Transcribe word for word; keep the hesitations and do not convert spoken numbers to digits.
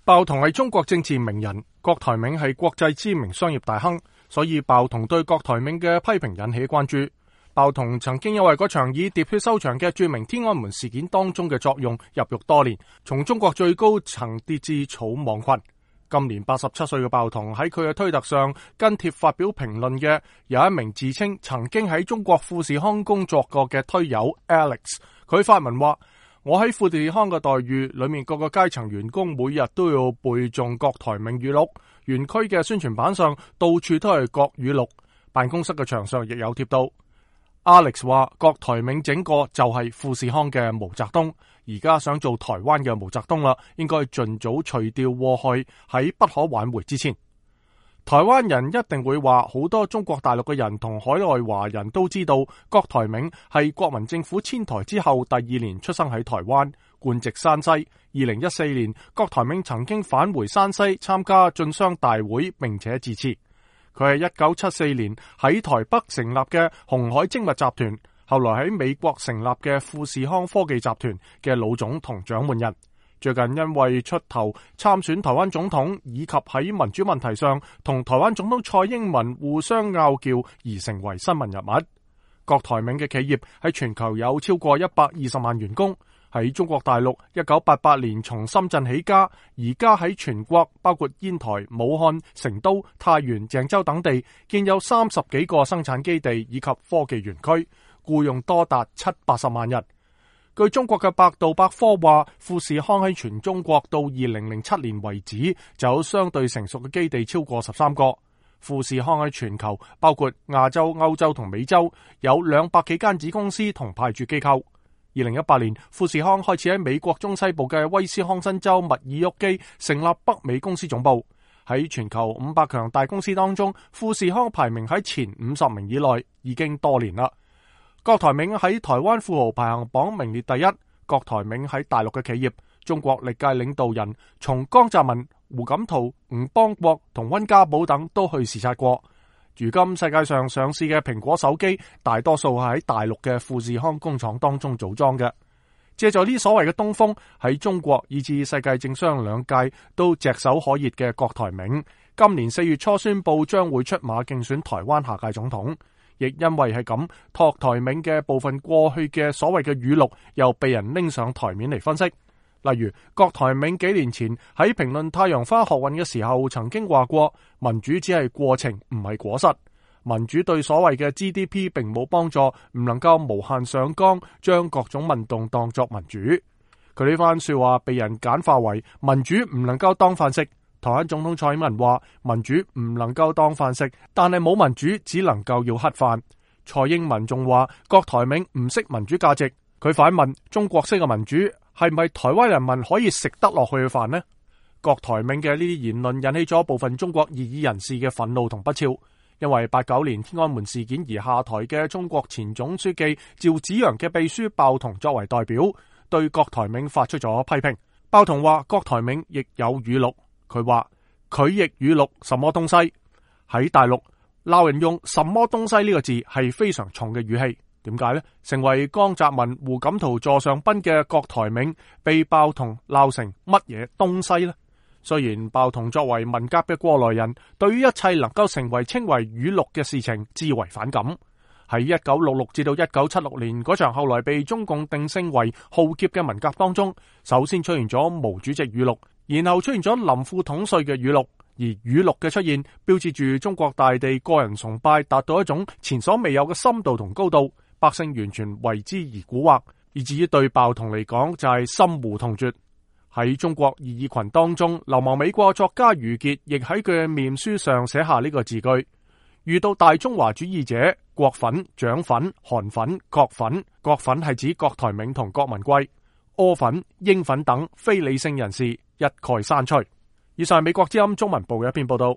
鮑彤係中國政治名人，郭台銘係國際知名商業大亨，所以鮑彤對郭台銘嘅批評引起關注。鮑彤曾經因為嗰場以喋血收場嘅著名天安門事件當中嘅作用入獄多年，從中國最高層跌至草莽群。今年八十七歲嘅鮑彤喺佢嘅推特上跟帖發表評論嘅有一名自稱曾經喺中國富士康工作過嘅推友 Alex， 佢發文話：我喺富士康嘅待遇裏面，各個階層員工每日都要背誦郭台銘語錄，園區嘅宣傳板上到處都係郭語錄，辦公室嘅牆上亦有貼到。Alex 話郭台銘整個就係富士康嘅毛澤東，而家想做台灣嘅毛澤東啦，應該盡早除掉禍害，喺不可挽回之前。台灣人一定會話，好多中國大陸嘅人同海外華人都知道，郭台銘係國民政府遷台之後第二年出生喺台灣，官籍山西。二零一四年，郭台銘曾經返回山西參加進商大會，並且致辭。佢係一九七四年喺台北成立嘅鴻海精密集團，後來喺美國成立嘅富士康科技集團嘅老總同掌門人。最近因為出頭參選台灣總統，以及喺民主問題上同台灣總統蔡英文互相拗撬而成為新聞人物。郭台銘嘅企業喺全球有超過一百二十萬員工，喺中國大陸一九八八年從深圳起家，而家喺全國包括煙台、武漢、成都、太原、鄭州等地建有三十幾個生產基地以及科技園區，僱用多達七八十萬人。據中國嘅百度百科話，富士康喺全中國到二零零七年為止就有相對成熟嘅基地超過十三個。富士康喺全球包括亞洲、歐洲同美洲有兩百幾間子公司同派駐機構。二零一八年，富士康開始喺美國中西部嘅威斯康辛州密爾沃基成立北美公司總部。喺全球五百強大公司當中，富士康排名喺前五十名以內已經多年啦。郭台銘喺台灣富豪排行榜名列第一。郭台銘喺大陸嘅企業，中國歷屆領導人從江澤民、胡錦濤、吳邦國同溫家寶等都去視察過。如今世界上上市嘅蘋果手機，大多數係喺大陸嘅富士康工廠當中組裝嘅。借助呢所謂嘅東風，喺中國以至世界政商兩界都炙手可熱嘅郭台銘，今年四月初宣布將會出馬競選台灣下屆總統。亦因為係咁，郭台銘嘅部分過去嘅所謂嘅語錄又被人拎上台面嚟分析。例如，郭台銘幾年前喺評論太陽花學運嘅時候，曾經話過民主只係過程，唔係果實。民主對所謂嘅 G D P 並冇幫助，唔能夠無限上綱，將各種運動當作民主。佢呢番說話被人簡化為民主唔能夠當飯食。台灣總統蔡英文話民主唔能夠當飯食，但係冇民主只能夠要乞飯。蔡英文仲話郭台銘唔識民主價值，佢反問中國式嘅民主係咪台灣人民可以食得落去嘅飯呢？郭台銘嘅呢啲言論引起咗部分中國異議人士嘅憤怒同不肖，因為八九年天安門事件而下台嘅中國前總書記趙紫陽嘅秘書鮑彤作為代表，對郭台銘發出咗批評。鮑彤話郭台銘亦有語錄。佢話佢亦語錄什麼東西，喺大陸鬧人用什麼東西呢個字係非常重嘅語氣。點解呢？成為江澤民、胡錦濤座上賓嘅郭台銘被鮑彤鬧成乜嘢東西呢？雖然鮑彤作為文革嘅過來人，對於一切能夠成為稱為語錄嘅事情至為反感。喺一九六六至到一九七六年嗰場後來被中共定性為浩劫嘅文革當中，首先出現咗毛主席語錄，然後出現咗林副統帥嘅語錄，而語錄嘅出現標誌住中國大地個人崇拜達到一種前所未有嘅深度同高度，百姓完全為之而蠱惑，以至於對鮑彤嚟講就係心糊痛絕。喺中國異議群當中，流亡美國作家余傑亦喺佢嘅面書上寫下呢個字句：遇到大中華主義者，國粉、蔣粉、韓粉、國粉，國粉係指郭台銘同郭文貴，柯粉、英粉等非理性人士一概刪除。以上係美國之音中文部嘅一篇報道。